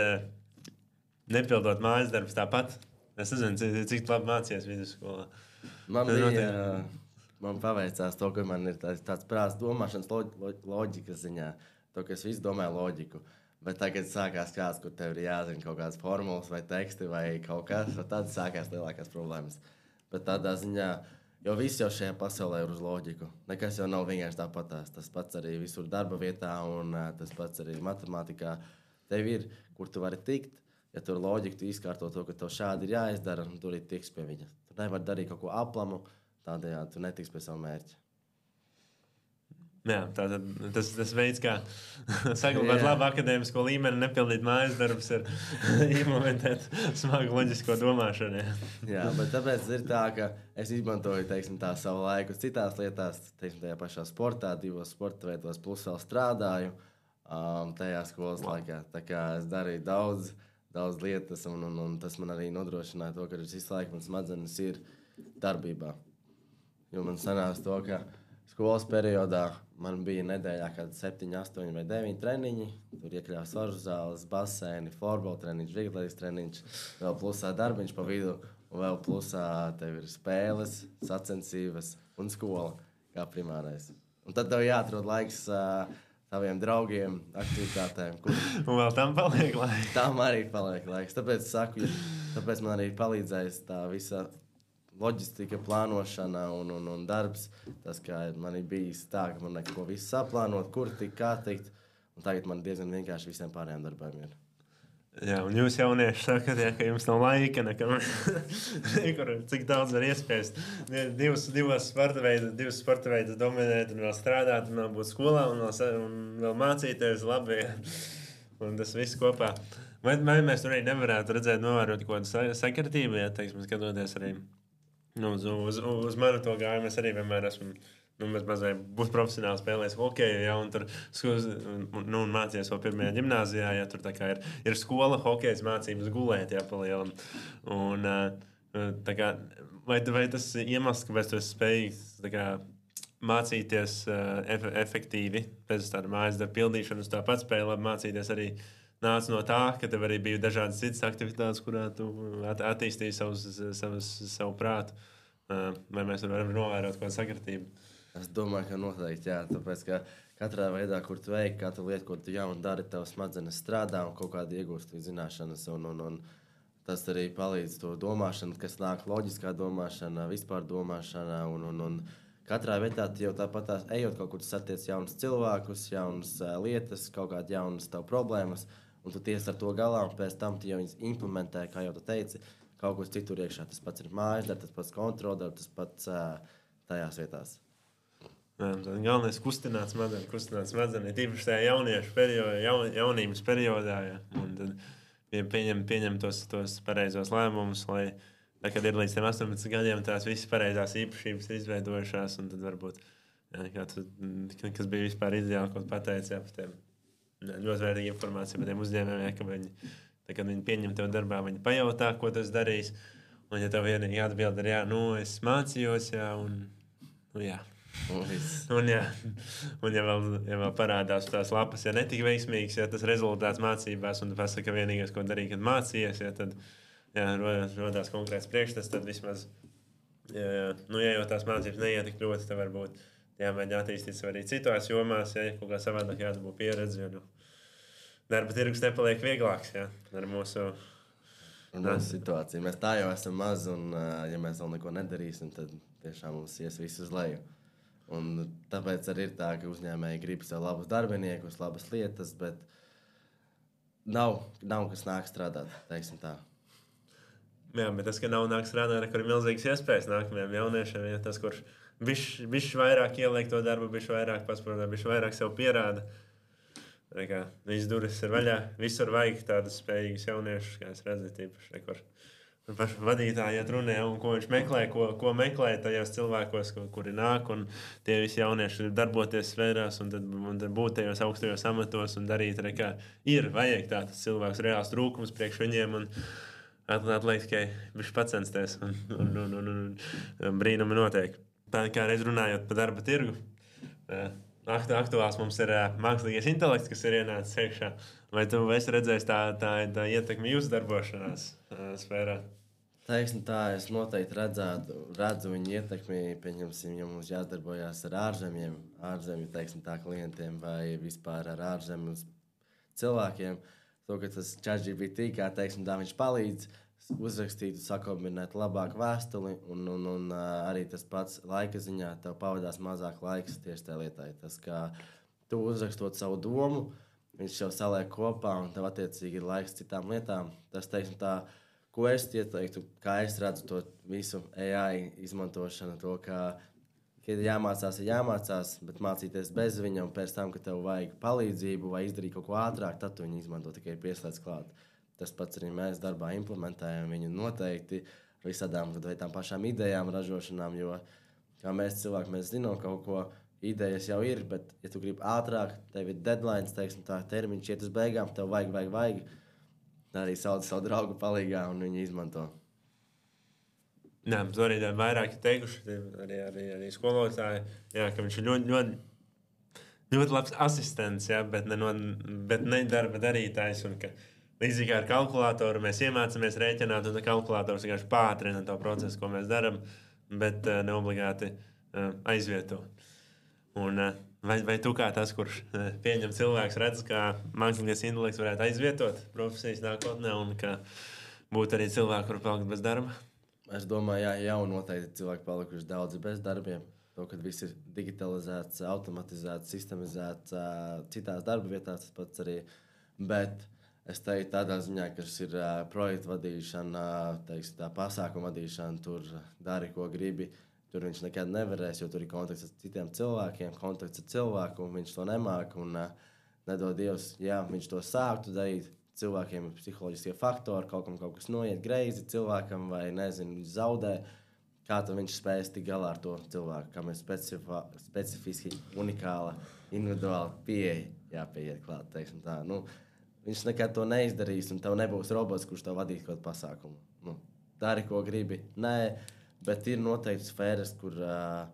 nepildot mājas darbus tāpat? Es nezinu, cik labi mācījies vidusskolā. Man bija, man paveicās to, ka man ir tāds, tāds prāts domāšanas loģikas ziņā. to, ka es visu domāju loģiku. Bet tagad sākās kāds, kur tev ir jāzina kaut kādas formulas vai teksti vai kaut kas, tad sākās lielākās problēmas. Bet tādā ziņā, jo viss jau šajā pasaulē ir uz loģiku. Nekas jau nav vienkārši tāpatās. Tas pats arī visur darba vietā un tas pats arī matemātikā. Tev ir, kur tu vari tikt, ja tur loģika, tu izkārto to, ka tev šādi ir jāizdara, un tur ir tiks pie viņa. Tu nevari darīt kaut ko aplamu, tādējādi tu netiks pie savu mērķi. Jā, tātad tas, tas veids, kā saglabāt labu akadēmisko līmeni, nepildīt mājas darbus, ir implementēt smagu loģisko domāšanu. Jā. Jā, bet tāpēc ir tā, ka es izmantoju, teiksim, tā savu laiku citās lietās, teiksim, tajā pašā sportā, divos sporta veidos, plus vēl strādāju um, tajā skolas wow. laikā. Tā kā es darīju daudz, daudz lietas, un, un, un tas man arī nodrošināja to, ka visu laiku man smadzenes ir darbībā. Jo man sanās to, ka skolas periodā man bija nedēļā kādi septiņi, astoņi vai deviņi treniņi. Tur iekļāvās svaru zāles, basēni, florbola treniņš, vieglatlētikas treniņš, vēl plusā darbiņš pa vidu, un vēl plusā tev ir spēles, sacensības un skola kā primārais. Un tad tev jāatrod laiks uh, taviem draugiem, aktivitātēm. Kur... Un vēl tam paliek laiks. Tam arī paliek laiks. Tāpēc saku, ja, tāpēc man arī palīdzēs tā visa loģistika, plānošana un, un, un darbs. Tas, kā man ir bijis tā, ka man neko visu saplānot, kur tik, kā tikt. Un tagad man diezgan vienkārši visiem pārējiem darbiem ir. Jā, un jūs jaunieši sakat, ja, ka jums nav laika, nekam, nekur, cik daudz var iespēst. Divas, divas sporta veidus, divas sporta veidus dominēt un vēl strādāt, un vēl būt skolā, un vēl, un vēl mācīties labi. Un tas viss kopā. Vai, vai mēs tur arī nevarētu redzēt, novērot kaut kādu sakritību, ja, teiksim, skatoties arī nu, uz, uz, uz manu to gājumu. Es arī vienmēr esmu nu, mazliet būt profesionāli spēlējis hokeju, ja, un tur nu, mācījos vēl pirmajā ģimnāzijā, ja tur tā kā ir, ir skola, hokejs mācības gulēt, ja, pa lielam. Un tā kā, vai, vai tas iemesls, kāpēc tu esi spējīgs tā kā mācīties uh, efektīvi pēc tāda mājas darba pildīšanas, tāpat spēja labi mācīties arī nāca no tā, ka tev arī bija dažādas citas aktivitātes, kurā tu at- attīstīji savus, savus, savu prātu. Uh, vai mēs varam novērot kādu sakritību? Es domāju, ka noteikti, jā, tāpēc, ka katrā veidā, kur tu veiki, katru lietu, ko tu jaunu dari, tev smadzenes strādā un kaut kādi iegūst zināšanas, un, un, un tas arī palīdz to domāšanu, kas nāk loģiskā domāšana, vispār domāšana, un, un, un katrā vietā jau tāpat tās, ejot kaut kur, tu satiec jaunus cilvēkus, jaunas uh, lietas, kaut kādi jaunas tev problēmas, un tu tiec ar to galā, un pēc tam tu jau viņas implementē, kā jau tu teici, kaut kur citur iekšā. Tas pats ir mājas darbs, tas pats kontroldarbs, tas pats uh, tajās vietās. Jā, galvenais kustināt smadzenes, kustināt smadzenes, tīpaši tajā jauniešu periodā, jaun, jaunības periodā, ja, un tad pieņem, pieņem tos, tos pareizos lēmumus, lai, tā, kad ir līdz tiem astoņpadsmit gadiem, tās visas pareizās īpašības ir izveidojušās, un tad varbūt, jā, kā tu, kas bija vispār ideāli, ko pateici, jā, par tiem ļoti vērtīga informācija par tiem uzņēmējiem, ja, ka viņi, tā, kad viņi pieņem tev darbā, viņi pajautā, ko tas darīs, un ja tev vienīgi atbild ir, jā, nu, es mācījos, jā, un, nu, jā. Un, jā, un ja, vēl, ja vēl parādās tās lapas, ja netika veiksmīgs, ja tas rezultāts mācībās, un tu pasaka, ka vienīgais, ko darīji, kad mācījies, ja tad jā, rodās konkrēts priekšstats, tad vismaz, ja, ja, nu, ja jau tās mācības neietik ļoti, tad varbūt jāmēģina attīstīt sev arī citās jomās, ja kaut kā savādāk jāatbūt pieredzi, jo nu, darba tirgus nepaliek vieglāks, ja, ar mūsu... Mūsu situāciju. Mēs tā jau esam maz, un ja mēs vēl neko nedarīsim, tad tiešām mums ies visu uz leju. Un tāpēc arī ir tā, ka uzņēmēji grib sev labus darbiniekus, labas lietas, bet nav, nav kas nāk strādāt, teiksim tā. Jā, bet tas, ka nav nāk strādāt, kur ir milzīgas iespējas nākamajiem jauniešiem, ja tas, kurš bišķi, bišķi vairāk ieliek to darbu, bišķi vairāk pasprotā, bišķi vairāk sev pierāda. Tā kā viss durvis ir vaļā, visur vajag tādus spējīgus jauniešus, kā es redzu, tīpaši nekur. Paši vadītāji iet runē, un ko viņš meklē, ko, ko meklē tajos cilvēkos, ko, kuri nāk, un tie visi jaunieši ir darboties sfērās, un tad, un tad būt tajos augstajos amatos un darīt, re, kā ir, vajag tāds cilvēks reāls trūkums priekš viņiem, un atliek tikai viņš pacensties, un, un, un, un, un brīnumi notiek. Tā kā reiz runājot par darba tirgu, aktuāls mums ir mākslīgais intelekts, kas ir ienācis iekšā. Vai tu esi redzējis tā, tā, tā ietekmi jūsu darbošanās sfērā? Teiksim tā, es noteikti redzētu, redzu viņu ietekmi, pieņemsim, ja mums jāsadarbojās ar ārzemiem, ārzemju, teiksim tā, klientiem vai vispār ar ārzemju cilvēkiem. To, ka tas ChatGPT, kā teiksim tā, viņš palīdz uzrakstīt, sakombinēt labāku vēstuli, un, un, un arī tas pats laika ziņā tev pavadās mazāk laiks tieši tajā lietai. Tas, kā tu uzrakstot savu domu, viņš jau saliek kopā, un tev attiecīgi ir laiks citām lietām. Tas, teiksim tā, ko es ieteiktu, kā es redzu to visu A I izmantošanu, to, ka, kad jāmācās, ir jāmācās, bet mācīties bez viņa, un pēc tam, ka tev vajag palīdzību vai izdarīt kaut ko ātrāk, tad tu viņu izmanto tikai pieslēdz klāt. Tas pats arī mēs darbā implementējam viņu noteikti visādām tām pašām idejām, ražošanām, jo kā mēs cilvēki, mēs zinām kaut ko, idejas jau ir, bet ja tu gribi ātrāk, tev ir deadlines, teiksim tā, termiņš iet uz beigām, tev vajag, vajag, vajag. Arī sauc savu draugu palīgā un viņi izmanto. Jā, to arī vairāk ir teikuši, arī, arī, arī skolotāji, jā, ka viņš ir ļoti, ļoti, ļoti labs asistents, jā, bet, ne, no, bet ne darba darītājs. Un ka līdzīgi kā ar kalkulātoru mēs iemācāmies rēķināt, un kalkulators vienkārši pātrina to procesu, ko mēs darām, bet uh, neobligāti uh, aizvieto. Un, uh, vai, vai tu kā tas, kurš uh, pieņem cilvēks, redz, kā mākslīgais intelekts varētu aizvietot profesijas nākotnē, un ka būtu arī cilvēki, kuri palikt bez darba? Es domāju, jā, jau noteikti cilvēki palikuši daudzi bez darbiem. To, kad viss ir digitalizēts, automatizēts, sistemizēts uh, citās darba vietās, tas pats arī. Bet es teiktu tādā ziņā, ka šis ir uh, projektu vadīšana, teiksim, tā pasākuma vadīšana, tur dari, ko gribi. Tur viņš nekad nevarēs, jo tur ir kontakts ar citiem cilvēkiem, kontakts ar cilvēku, un viņš to nemāk. Un uh, nedod Dievs, jā, viņš to sāktu darīt. Cilvēkiem ir psiholoģiskie faktori, kaut kam kaut kas noiet greizi cilvēkam vai, nezinu, viņš zaudē. Kā tad viņš spējas tik galā ar to cilvēku, kam ir specifa, specifiski unikāla, individuāla pieeja jāpieiet klāt, teiksim tā. Nu, viņš nekad to neizdarīs, un tev nebūs robots, kurš tev vadīs kaut pasākumu. Nu, dari, ko gribi. Nē, bet ir noteikti sfēras, kur uh,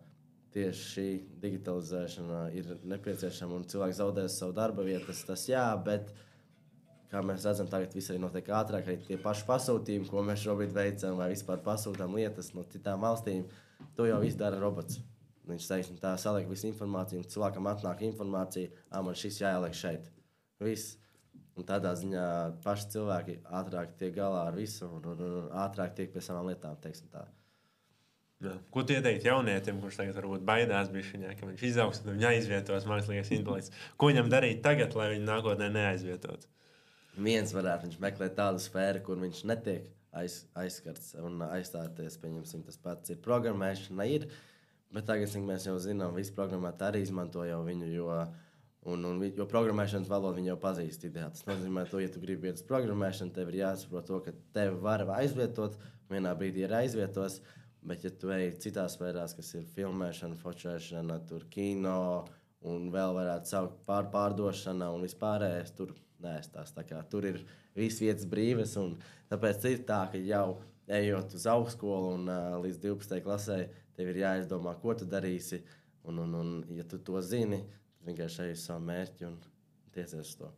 tieši šī digitalizēšana ir nepieciešama, un cilvēks zaudēs savu darba vietas, tas jā, bet kā mēs redzam, tagad viss arī notiek ātrāk, arī tie paši pasūtījumi, ko mēs šobrīd veicam, vai vispār pasūtām lietas no citām valstīm, to jau viss dara robots. Viņš teiksim, tā saliek visu informāciju, un cilvēkam atnāk informācija, ā, man šis jāieliek šeit. Viss. Un tādā ziņā paši cilvēki ātrāk tiek galā ar visu, un, un, un ātrāk tiek pie savām lietām, teiksim tā. Jā. Ko tu ieteiktu jaunietim, kurš tagad varbūt baidās bišķiņā, ka viņš izaugs un viņa aizvietos mākslīgais intelekts? Ko viņam darīt tagad, lai viņu nākotnē neaizvietotu? Viens varētu viņš meklēt tādu sfēru, kur viņš netiek aiz, aizskarts un aizstāties, pieņemsim, tas pats ir programmēšana ir, bet tagad, cik mēs jau zinām, visi programmētāji arī izmanto jau viņu, jo, un, un, jo programmēšanas valodu viņi jau pazīst ideā. Tas nozīmē to, ja tu gribi iet uz programmēšanu, tev ir jāsaprot to, ka tevi var aizvietot, vienā brīdī ir aizvietos, bet ja tu ej citās sfērās, kas ir filmēšana, fočēšana, tur kino un vēl varētu saukt pār, pārdošana un vispārējais, tur nēstās. Tā kā tur ir viss vietas brīvas, un tāpēc ir tā, ka jau ejot uz augstskolu un uh, līdz divpadsmitajai klasē, tev ir jāizdomā, ko tu darīsi, un, un, un ja tu to zini, tad vienkārši ej uz savu mērķi un tiecies uz to.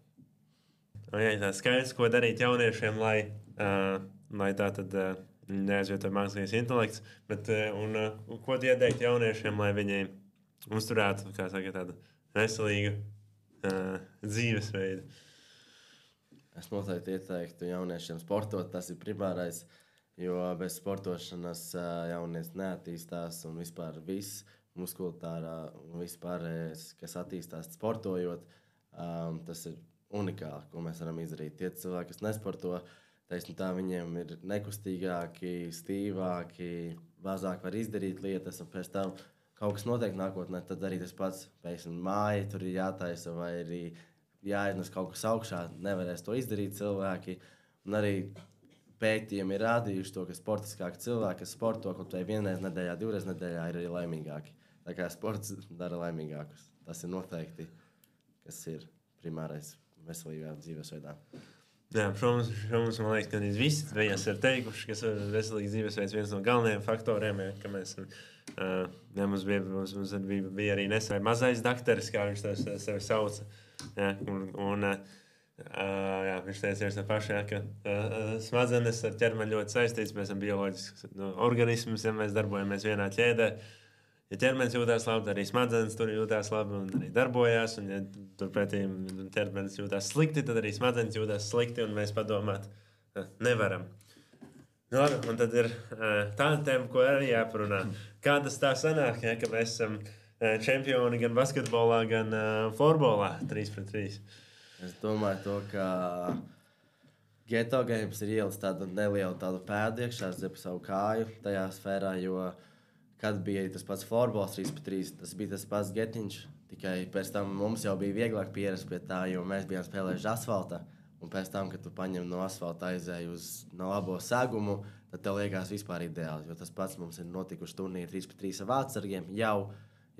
Jā, tā skaidrs, ko darīt jauniešiem, lai, uh, lai tā tad uh, neaizvieto mākslīgais intelekts, bet uh, un, uh, ko tu ieteikt jauniešiem, lai viņi uzturētu, kā saka, tādu veselīgu uh, dzīvesveidu? Es noteikti ieteiktu jauniešiem sportot, tas ir primārais, jo bez sportošanas jaunietis neattīstās un vispār viss muskulārā un vispārējais, kas attīstās sportojot, um, tas ir unikāli, ko mēs varam izdarīt. Tie cilvēki, kas nesporto, teiksim tā, viņiem ir nekustīgāki, stīvāki, mazāk var izdarīt lietas, un pēc tam kaut kas notiek nākotnē, tad arī tas pats, pēkšņi māja tur ir jātaisa vai arī jāiznes kaut kas augšā, nevarēs to izdarīt cilvēki. Un arī pētījumi ir rādījuši to, ka sportiskāki cilvēki, kas sporto kaut vai vienreiz nedēļā, divreiz nedēļā, ir arī laimīgāki. Tā kā sports dara laimīgākus. Tas ir noteikti, kas ir primārais veselīgā dzīvesveidā. Jā, protams, protams, man liekas, ka visi viņas ir teikuši, ka veselīgs dzīvesveids viens no galvenajiem faktoriem, ja, ka mēs, uh, ja, mums, bija, mums, mums bija, bija arī nesen mazais dakteris, kā viņš sevi sauca. Ja, un, un, Uh, jā, viņš teica to pašu, jā, ka uh, smadzenes ar ķermeni ļoti saistīts. Mēs esam bioloģisks nu, organisms, ja mēs darbojamies vienā ķēdē. Ja ķermenis jūtas labi, tad arī smadzenes tur jūtas labi un arī darbojās. Un, ja turpretī ķermenis jūtas slikti, tad arī smadzenes jūtas slikti un mēs padomāt uh, nevaram. Nu, labi, un tad ir uh, tāda tēma, ko arī jāparunā. Kā tas tā sanāk, ja, ka mēs esam uh, čempioni gan basketbolā, gan uh, florbolā trīs pret trīs? Es domāju, to, ka Geto Games ir ielas tādu nelielu tādu pēdu iekšā, zip savu kāju tajā sfērā, jo kad bija tas pats florbols trīs pret trīs, tas bija tas pats getiņš, tikai pēc tam mums jau bija vieglāk pierast pie tā, jo mēs bijām spēlējuši asfalta, un pēc tam, kad tu paņem no asfalta aizēju uz no labo segumu, tad tev liekas vispār ideāli, jo tas pats mums ir notikuši turnīri trīs pret trīs ar vārdsargiem jau,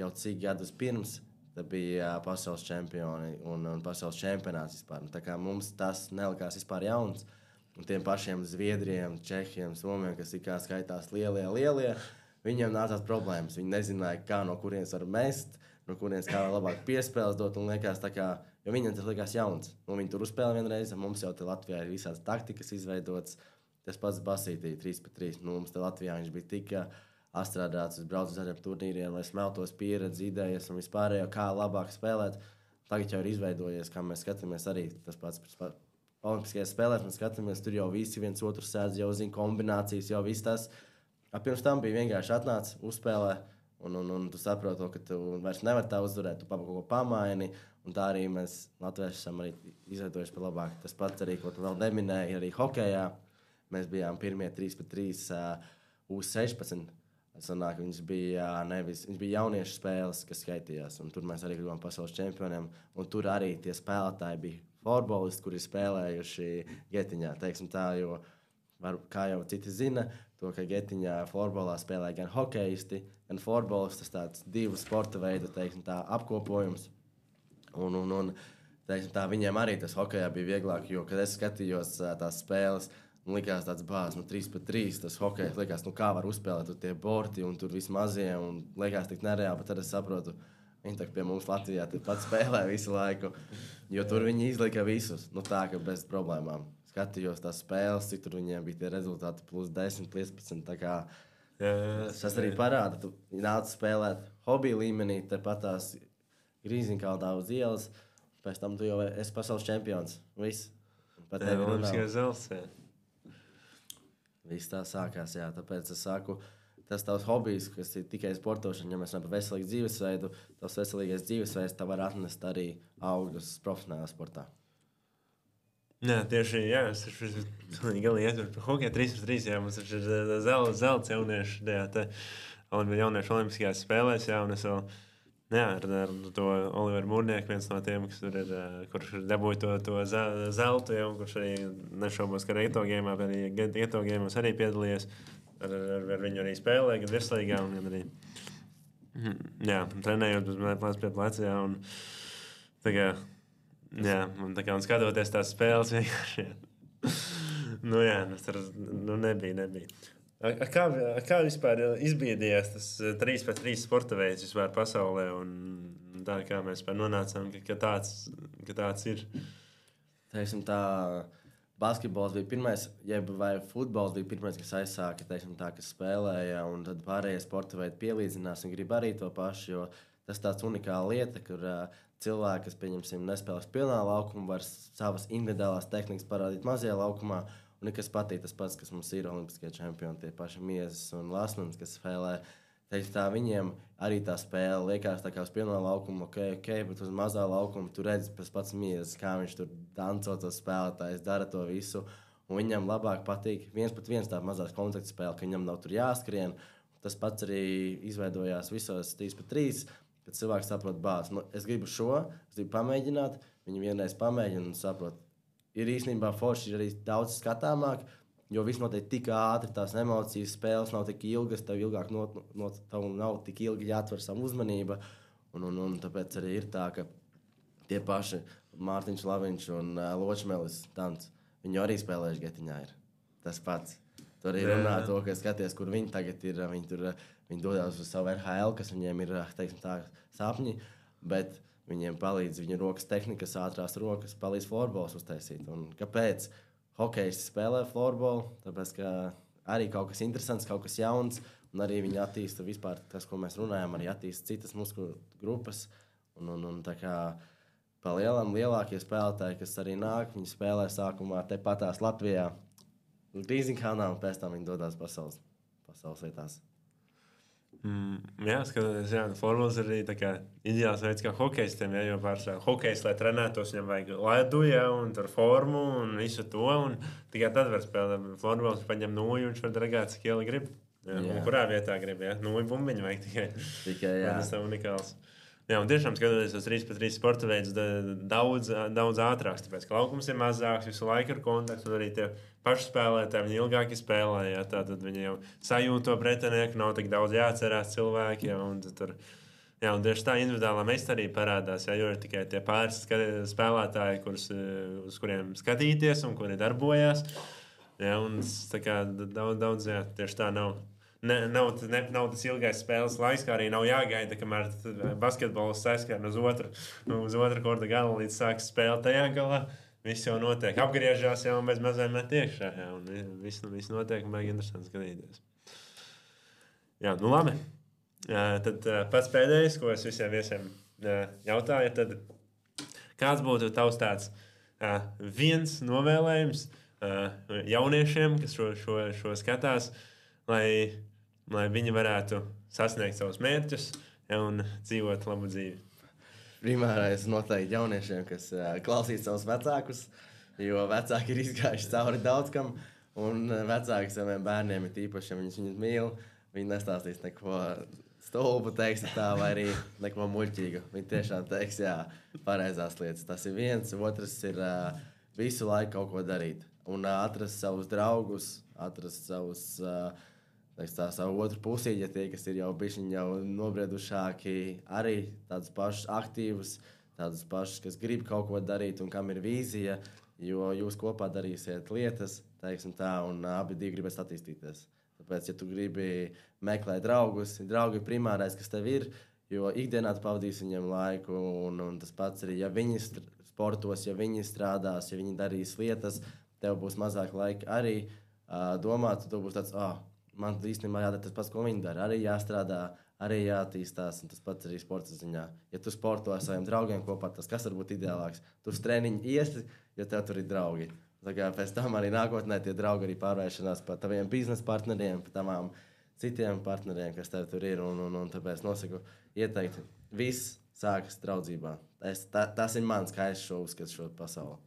jau cik gadus pirms. Tas bija uh, pasaules čempioni un, un pasaules čempionāts vispār. Un tā kā mums tas nelikās vispār jauns. Un tiem pašiem Zviedriem, Čehiem, Somiem, kas ir kā skaitās lielie, lielie, viņiem nācās problēmas. Viņi nezināja, kā no kurienes var mest, no kurienes kā labāk piespēles dot. Un liekas tā kā, jo viņiem tas likās jauns. Un viņi tur uzspēlē vienreiz, mums jau te Latvijā ir visādas taktikas izveidotas. Tas pats Basītī, trīs pret trīs. Nu, mums te Latvijā viņš bija tik astrādāts, es braucu uz tādiem turnīriem, lai smeltos pieredzi, idejas un vispārējo, kā labāk spēlēt. Tagad jau ir izveidojies, kā mēs skatāmies arī tas pats olimpiskajās spēlēs. Mēs skatāmies, tur jau visi viens otru sēdz, jau zina kombinācijas, jau viss tas. Pirms tam bija vienkārši atnāc, uzspēlē, un, un, un tu saproti to, ka tu vairs nevari tā uzvarēt, tu kaut ko pamaini. Un tā arī mēs latvieši esam arī izveidojuši par labāk. Tas pats arī, ko tu vēl neminēji, arī hokejā. Mēs bijām pirmie trīs pret trīs U sešpadsmit. Sanāk, viņš bija nevis, viņš bija jauniešu spēles, kas skaitījās, un tur mēs arī kļuvām pasaules čempioniem, un tur arī tie spēlētāji bija florbolisti, kuri spēlējuši Getiņā, teiksim tā, jo, var, kā jau citi zina, to, ka Getiņā florbolā spēlē gan hokejisti, gan florbolisti, tas tāds divu sporta veidu, teiksim tā, apkopojums, un, un, un teiksim tā, viņiem arī tas hokejā bija vieglāk, jo, kad es skatījos tās spēles, un likās tāds bāzs, nu trīs pret trīs, tas hokejs, likās, nu kā var uzspēlēt tur tie borti un tur viss mazie, un likās tik nereāli, bet tad es saprotu, viņi tak pie mums Latvijā pat spēlē visu laiku, jo tur viņi izlika visus, nu tā, ka bez problēmām. Skatījos tās spēles, cik tur viņiem bija tie rezultāti plus desmit, piecpadsmit, tā kā jā, jā, tas arī parāda, tu nāc spēlēt hobiju līmenī, tepat tās Grīziņkaldā uz ielas, pēc tam tu jau esi pasaules čempions, viss. Pat jā, olimpiskais zelts, jā. Viss tā sākās, jā, tāpēc es saku, tas tavs hobijs, kas ir tikai sportošana, ja mēs runājam par veselīgu dzīvesveidu, tavs veselīgais dzīvesveids tev var atnest arī augļus profesionālā sportā. Jā, tieši, jā, es esmu galīgi ietver par hokeju trīs pret trīs, jā, mums ir zelts, zelts jaunieši, jā, te jauniešu olimpiskajās spēlēs, jā, un es vēl, jā, ar, ar to Oliveru Mūrnieku, viens no tiem, kas tur ir, kurš dabūja to, to zeltu, ja, un kurš arī nešaubos, ka Geto Games, arī Geto Games arī piedalījies, ar, ar, ar viņu arī spēlē, gan virslīgā, un gan arī, jā, trenējot uz plēc pie plēc, jā, un tā kā, jā, un tā kā, un skatoties tās spēles vienkārši, jā, nu jā, tas nu nebija, nebija. A, a kā, a kā vispār izbiedījās tas trīs pret trīs sporta veids vispār pasaulē un tā kā mēs nonācām, ka, ka, tāds, ka tāds ir? Teiksim tā, basketbols bija pirmais, jeb vai futbols bija pirmais, kas aizsāka, teiksim tā, kas spēlēja, un tad pārējie sporta veidi pielīdzinās un grib arī to pašu, jo tas tāds unikāla lieta, kur uh, cilvēki, kas, pieņemsim, nespēlēs pilnā laukumā, var savas individuālās tehnikas parādīt mazajā laukumā. Un kas patīk, tas pats, kas mums ir olimpiskie čempioni, tie paši Miezes un Lasmans, kas spēlē. Teiks, tā, viņiem arī tā spēle liekas tā kā uz pilnā laukuma, ok, ok, bet uz mazā laukuma tu redzi tas pats Miezes, kā viņš tur danco tos spēlētājs, dara to visu. Un viņam labāk patīk viens pat viens tā mazās kontakta spēle, ka viņam nav tur jāskrien. Tas pats arī izveidojās visos trīs pret trīs, kad cilvēks saprot bāzi. Nu, es gribu šo, es gribu pamēģināt, viņi vienreiz pamēģina un saprot. Ir īstenībā forši arī daudz skatāmāk, jo viss notiek tik ātri, tās emocijas, spēles nav tik ilgas, tev ilgāk no, no, tev nav tik ilgi jāatver savu uzmanību. Un, un, un tāpēc arī ir tā, ka tie paši Mārtiņš Laviņš un uh, Ločmelis Tants, viņi arī spēlējuši Getiņā ir tas pats. Tur arī runā to, ka skaties, kur viņi tagad ir, viņi tur viņi dodās uz savu R H L, kas viņiem ir, teiksim tā, sapņi, bet viņiem palīdz viņu rokas tehnikas, ātrās rokas, palīdz florbols uztaisīt. Un kāpēc hokejs spēlē florbolu? Tāpēc, ka arī kaut kas interesants, kaut kas jauns, un arī viņi attīsta vispār tas, ko mēs runājam, arī attīsta citas muskuļu grupas. Un, un, un tā kā pa lielam lielākie spēlētāji, kas arī nāk, viņi spēlē sākumā tepatās Latvijā, Grīziņkalnā, un pēc tam viņi dodās pasaules, pasaules vietās. Mm, jā, skatoties, jā, formulas ir arī tā kā ideāls veids, kā hokejistiem, ja, jo pārsvarā hokejs, lai trenētos, viņam vajag ledu, ja, un tur formu, un visu to, un tikai tad var spēlēt. Formulas paņem nūju, un viņš var dragāt, cik ieli grib. Jā, jā. Kurā vietā grib, ja? Nūju bumbiņu vajag tikai. Tikai, jā. Tas tā unikāls. Jā, un tiešām skatoties uz trīs pret trīs sporta veidus daudz, daudz ātrāks, tāpēc, ka laukums ir mazāks, visu laiku ir kontakts, un arī tie paši spēlētāji, viņi ilgāki spēlē, ja, tā tad viņi jau sajūt to pretinieku, nav tik daudz jāatcerās cilvēki, ja, un tur, jā, un tieši tā individuālā meistarība parādās, ja, jo ir tikai tie pāris spēlētāji, kurus, uz kuriem skatīties un kuri darbojās, ja, un tā kā daudz, daudz, jā, tieši tā nav. Ne, nav, ne, nav tas ilgais spēles laiks, kā arī nav jāgaida, kamēr basketbols aizskrien uz otru, uz otru korta galu, līdz sāks spēle tajā galā. Viss jau notiek. Apgriežās jau un bez mazēm met iekšā. Jā, un viss, viss notiek un baigi interesanti skatīties. Jā, nu labi. Tad pats pēdējais, ko es visiem viesiem jautāju, tad kāds būtu tavs tāds viens novēlējums jauniešiem, kas šo, šo, šo skatās, lai, lai viņi varētu sasniegt savus mērķus, ja, un dzīvot labu dzīvi. Primārais noteikti jauniešiem, kas uh, klausīs savus vecākus, jo vecāki ir izgājuši cauri daudz kam, un vecāki saviem bērniem ir īpaši, ja viņus viņus mīl, viņi nestāstīs neko stulbu, teiks tā, vai arī neko muļķīgu. Viņi tiešām teiks, jā, pareizās lietas. Tas ir viens, otrs ir uh, visu laiku kaut ko darīt, un uh, atrast savus draugus, atrast savus... Uh, Tā savu otru pusīti, ja tie, kas ir jau bišķiņi jau nobriedušāki, arī tādus pašus aktīvus, tādus pašus, kas grib kaut ko darīt un kam ir vīzija, jo jūs kopā darīsiet lietas, teiksim tā, un abi divi gribēs attīstīties. Tāpēc, ja tu gribi meklēt draugus, draugi ir primārais, kas tev ir, jo ikdienā tu pavadīsi viņiem laiku, un, un tas pats arī, ja viņi sportos, ja viņi strādās, ja viņi darīs lietas, tev būs mazāk laika arī uh, domāt, tu būs tāds, ah, oh, man īstenībā jādara tas pats, ko viņi dara. Arī jāstrādā, arī jātīstās, un tas pats arī sporta ziņā. Ja tu sporto ar saviem draugiem kopā, tas kas var būt ideālāks? Tu uz treniņu iesi, jo tev tur ir draugi. Tā kā pēc tam arī nākotnē tie draugi arī pārvēršanās par taviem biznesa partneriem, par tavām citiem partneriem, kas tev tur ir, un, un, un tāpēc nosaku ieteikt, viss sākas draudzībā. Es, tā, tas ir mans, kā es šo uzskatu šo pasauli.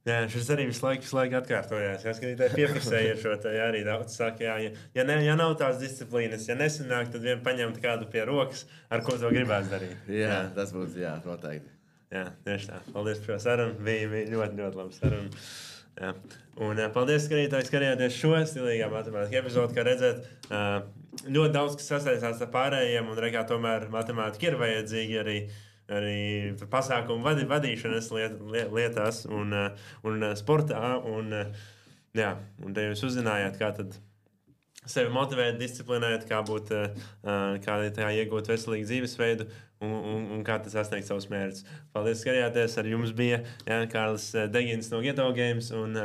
Jā, šis arī visu laiku, visu laiku atkārtojās. Jā, skatītāji piefiksēja šo te, jā, arī daudz saka, jā, ja, ja, ne, ja nav tās disciplīnas, ja nesanāk, tad vien paņemt kādu pie rokas, ar ko to gribētu darīt. jā, jā, tas būs, jā, noteikti. Jā, tieši tā. Paldies par šo sarunu. Bija, bija ļoti, ļoti laba saruna. Jā. Un paldies, skatītāji, skatījāties šo stilīgā matemātika epizodu, kā redzēt, ļoti daudz, kas sasaistās ar pārējiem, un rekā tomēr matemātika ir vajadzīga arī arī pasākumu vadi, vadīšanas liet, lietās un, un sportā. Un, jā, un te jūs uzzinājāt, kā tad sevi motivēt, disciplinēt, kā, būt, kā tā iegūt veselīgu dzīvesveidu un, un, un kā tas sasniegt savus mērķus. Paldies, skatījāties. Ar jums bija jā, Kārlis Degins no Geto Games un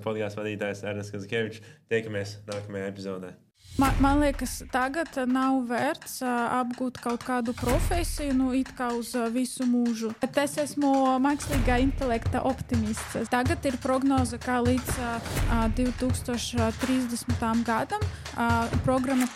podkāstu vadītājs Ernests Kazakievičs. Tiekamies nākamajā epizodē. Man, man liekas, tagad nav vērts uh, apgūt kaut kādu profesiju, nu, it kā uz uh, visu mūžu. Bet es esmu mākslīgā intelekta optimists. Tagad ir prognoze, ka līdz uh, divtūkstoš trīsdesmitajam gadam uh, programma